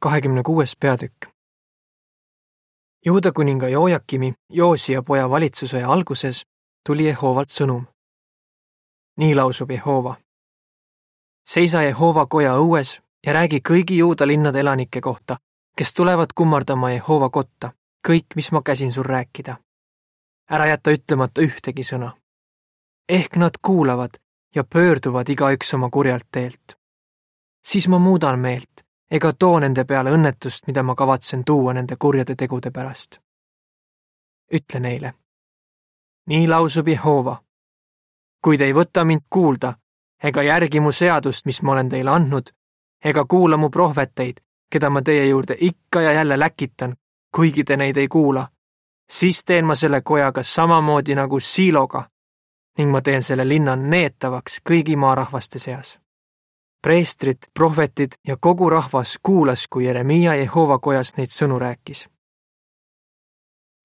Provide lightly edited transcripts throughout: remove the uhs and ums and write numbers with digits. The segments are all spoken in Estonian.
26. peatükk. Juuda kuninga Jojakimi, Joosia poja valitsuse alguses tuli Jehovalt sõnum. Nii lausub Jehova. Seisa Jehova koja õues ja räägi kõigi Juuda linnade elanike kohta, kes tulevad kummardama Jehova kotta, kõik, mis ma käsin sul rääkida. Ära jätta ütlemata ühtegi sõna. Ehk nad kuulavad ja pöörduvad igaüks oma kurjalt teelt. Siis ma muudan meelt ega too nende peale õnnetust, mida ma kavatsen tuua nende kurjade tegude pärast. Ütle neile. Nii lausub Jehova. Kui te ei võta mind kuulda, ega järgi mu seadust, mis ma olen teile andnud, ega kuula mu prohveteid, keda ma teie juurde ikka ja jälle läkitan, kuigi te neid ei kuula, siis teen ma selle kojaga samamoodi nagu Siiloga ning ma teen selle linna neetavaks kõigi maarahvaste seas. Preestrid, prohvetid ja kogu rahvas kuulas, kui Jeremia Jehova kojas neid sõnu rääkis.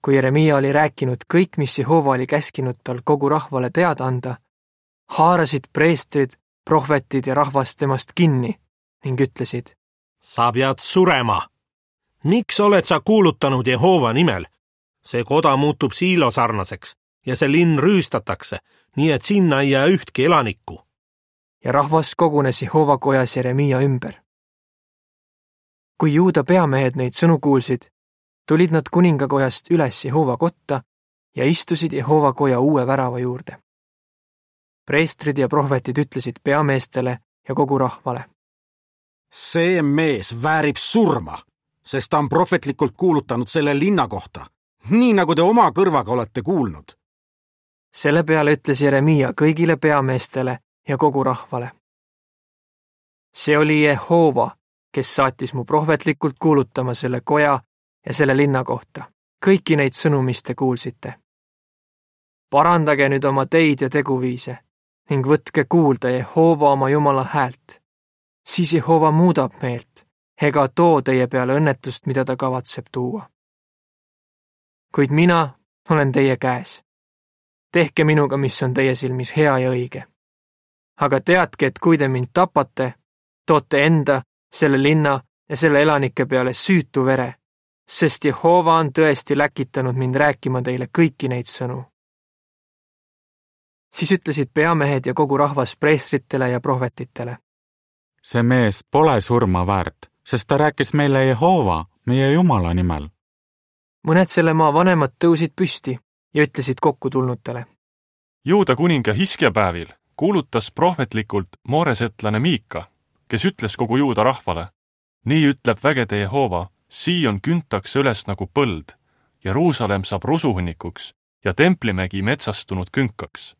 Kui Jeremia oli rääkinud kõik, mis Jehova oli käskinud tal kogu rahvale teada anda, haarasid preestrid, prohvetid ja rahvas temast kinni ning ütlesid: Sa pead surema! Miks oled sa kuulutanud Jehova nimel? See koda muutub Siilo sarnaseks ja see linn rüüstatakse, nii et sinna ei jää ühtki elanikku. Ja rahvas kogunes Jehova kojas Jeremia ümber. Kui Juuda peamehed neid sõnu kuulsid, tulid nad kuningakojast üles Jehova kotta ja istusid Jehova koja uue värava juurde. Preestrid ja prohvetid ütlesid peameestele ja kogu rahvale: See mees väärib surma, sest ta on prohvetlikult kuulutanud selle linna kohta, nii nagu te oma kõrvaga olete kuulnud. Selle peale ütles Jeremia kõigile peameestele ja kogu rahvale: See oli Jehova, kes saatis mu prohvetlikult kuulutama selle koja ja selle linna kohta, kõiki neid sõnu, mis te kuulsite. Parandage nüüd oma teid ja teguviise ning võtke kuulda Jehova oma Jumala häält. Siis Jehova muudab meelt ega too teie peale õnnetust, mida ta kavatseb tuua. Kuid mina olen teie käes. Tehke minuga, mis on teie silmis hea ja õige. Aga teadke, et kui te mind tapate, toote enda, selle linna ja selle elanike peale süütu vere, sest Jehova on tõesti läkitanud mind rääkima teile kõiki neid sõnu. Siis ütlesid peamehed ja kogu rahvas preestritele ja prohvetitele: See mees pole surma väärt, sest ta rääkis meile Jehova, meie Jumala nimel. Mõned selle maa vanemad tõusid püsti ja ütlesid kokkutulnutele: Juuda kuninga Hiskja päevil kuulutas prohvetlikult mooresetlane Miika, kes ütles kogu Juuda rahvale: Nii ütleb vägede Jehova, Siion küntaks üles nagu põld, Jeruusalemm saab rusuhunnikuks ja templimägi metsastunud künkaks.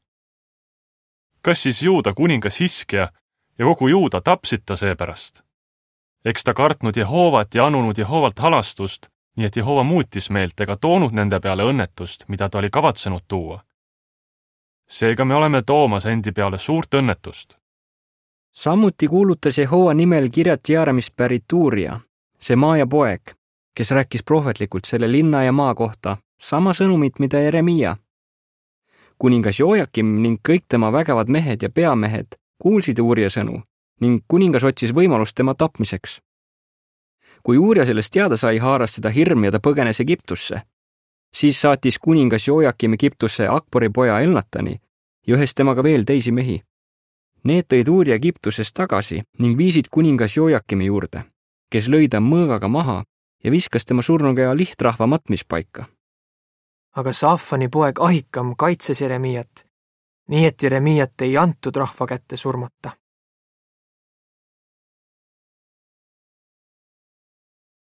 Kas siis Juuda kuningas Hiskja ja kogu Juuda tapsid ta seepärast? Eks ta kartnud Jehovat ja anunud Jehovalt halastust, nii et Jehova muutis meelt ega toonud nende peale õnnetust, mida ta oli kavatsenud tuua. Seega me oleme toomas endi peale suurt õnnetust. Samuti kuulutas Jehova nimel Kirjat Jearimist pärit Uuria, see Maaja poeg, kes rääkis prohvetlikult selle linna ja maa kohta sama sõnumit, mida Jeremia. Kuningas Jojakim ning kõik tema vägevad mehed ja peamehed kuulsid Uuria sõnu ning kuningas otsis võimalust tema tapmiseks. Kui Uuria sellest teada sai, haaras teda hirm ja ta põgenes Egiptusse. Siis saatis kuningas Jojakim Egiptusse Akbori poja Elnatani ja ühes temaga veel teisi mehi. Need tõid Uuria Egiptusest tagasi ning viisid kuningas Jojakimi juurde, kes lõi ta mõõgaga maha ja viskas tema surnukeha lihtrahva matmispaika. Aga Saafani poeg Ahikam kaitses Jeremiat, nii et Jeremiat ei antud rahva kätte surmata.